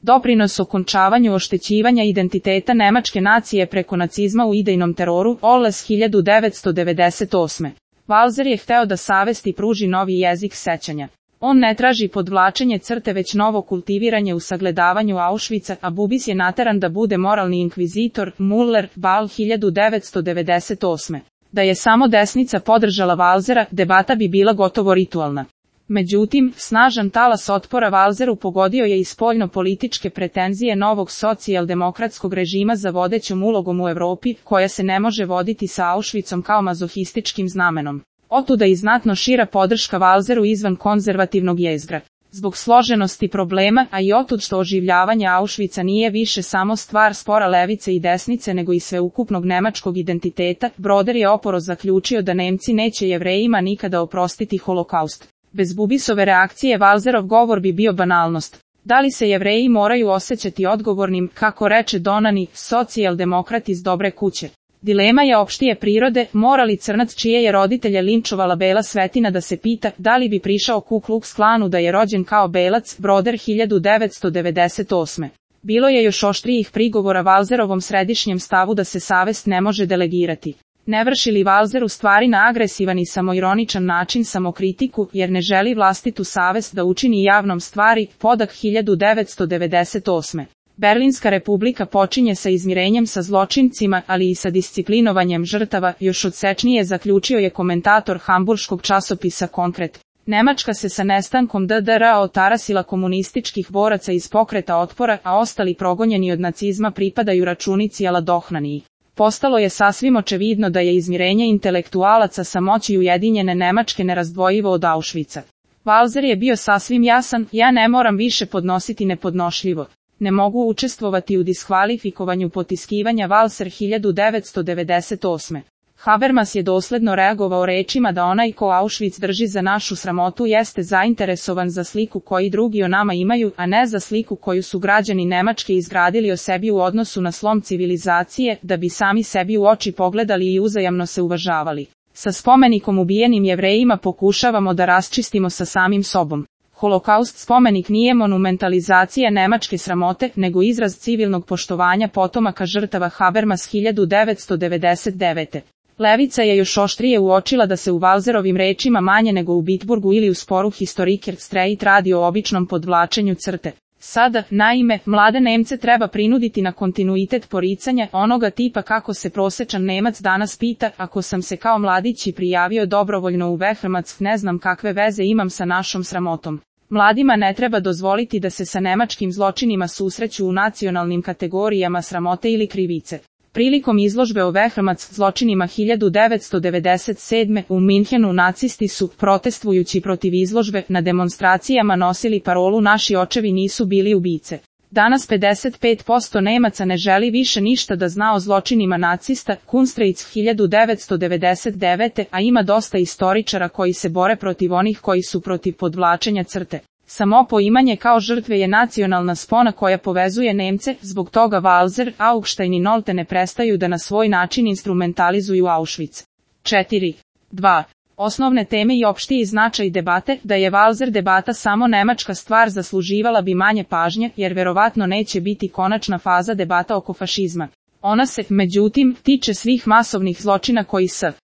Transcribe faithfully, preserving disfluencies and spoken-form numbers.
Doprinos okončavanju oštećivanja identiteta nemačke nacije preko nacizma u idejnom teroru, Oles hiljadu devetsto devedeset osme. Walser je hteo da savesti pruži novi jezik sećanja. On ne traži podvlačenje crte već novo kultiviranje u sagledavanju Auschwitza, a Bubis je nateran da bude moralni inkvizitor, Muller, Ball hiljadu devetsto devedeset osme. Da je samo desnica podržala Walsera, debata bi bila gotovo ritualna. Međutim, snažan talas otpora Walseru pogodio je i spoljno-političke pretenzije novog socijaldemokratskog režima za vodećom ulogom u Evropi, koja se ne može voditi sa Auschwitzom kao mazohističkim znamenom. Otuda i znatno šira podrška Walseru izvan konzervativnog jezgra. Zbog složenosti problema, a i otud što oživljavanje Auschwitza nije više samo stvar spora levice i desnice nego i sveukupnog nemačkog identiteta, Broder je oporo zaključio da Nemci neće Jevrejima nikada oprostiti holokaust. Bez Bubisove reakcije Walserov govor bi bio banalnost. Da li se Jevreji moraju osjećati odgovornim, kako reče Donani, socijaldemokrat iz dobre kuće? Dilema je opštije prirode, mora li crnac čije je roditelje linčovala bela svetina da se pita da li bi prišao Ku Klux Klanu da je rođen kao belac, Broder hiljadu devetsto devedeset osme. Bilo je još oštrijih prigovora Walserovom središnjem stavu da se savest ne može delegirati. Ne vrši li Walser u stvari na agresivan i samoironičan način samokritiku, jer ne želi vlastitu savest da učini javnom stvari, Podak hiljadu devetsto devedeset osme. Berlinska republika počinje sa izmirenjem sa zločincima, ali i sa disciplinovanjem žrtava, još odsečnije zaključio je komentator hamburškog časopisa Konkret. Nemačka se sa nestankom D D R otarasila komunističkih boraca iz pokreta otpora, a ostali progonjeni od nacizma pripadaju računici Aladohnaniji. Postalo je sasvim očevidno da je izmirenje intelektualaca sa moći ujedinjene Nemačke nerazdvojivo od Auschwitza. Walser je bio sasvim jasan, ja ne moram više podnositi nepodnošljivo. Ne mogu učestvovati u diskvalifikovanju potiskivanja Walser hiljadu devetsto devedeset osme. Habermas je dosledno reagovao rečima da onaj ko Auschwitz drži za našu sramotu jeste zainteresovan za sliku koju drugi o nama imaju, a ne za sliku koju su građani Nemačke izgradili o sebi u odnosu na slom civilizacije, da bi sami sebi u oči pogledali i uzajamno se uvažavali. Sa spomenikom ubijenim Jevrejima pokušavamo da raščistimo sa samim sobom. Holokaust spomenik nije monumentalizacija nemačke sramote, nego izraz civilnog poštovanja potomaka žrtava. Habermas hiljadu devetsto devedeset devete. Levica je još oštrije uočila da se u Walserovim rečima manje nego u Bitburgu ili u sporu Historiker Streit radi o običnom podvlačenju crte. Sada, naime, mlade Nemce treba prinuditi na kontinuitet poricanja, onoga tipa kako se prosečan Nemac danas pita, ako sam se kao mladić i prijavio dobrovoljno u Wehrmacht, ne znam kakve veze imam sa našom sramotom. Mladima ne treba dozvoliti da se sa nemačkim zločinima susreću u nacionalnim kategorijama sramote ili krivice. Prilikom izložbe o Wehrmacht zločinima hiljadu devetsto devedeset sedme. u Minhenu nacisti su, protestujući protiv izložbe, na demonstracijama nosili parolu naši očevi nisu bili ubice. Danas pedeset pet posto Nemaca ne želi više ništa da zna o zločinima nacista, Kunstreiz hiljadu devetsto devedeset devete. a ima dosta istoričara koji se bore protiv onih koji su protiv podvlačenja crte. Samo poimanje kao žrtve je nacionalna spona koja povezuje Nemce, zbog toga Walser, Augstein i Nolte ne prestaju da na svoj način instrumentalizuju Auschwitz. četiri. dva. Osnovne teme i opštiji značaj debate, da je Walser debata samo nemačka stvar zasluživala bi manje pažnje, jer verovatno neće biti konačna faza debata oko fašizma. Ona se, međutim, tiče svih masovnih zločina koji s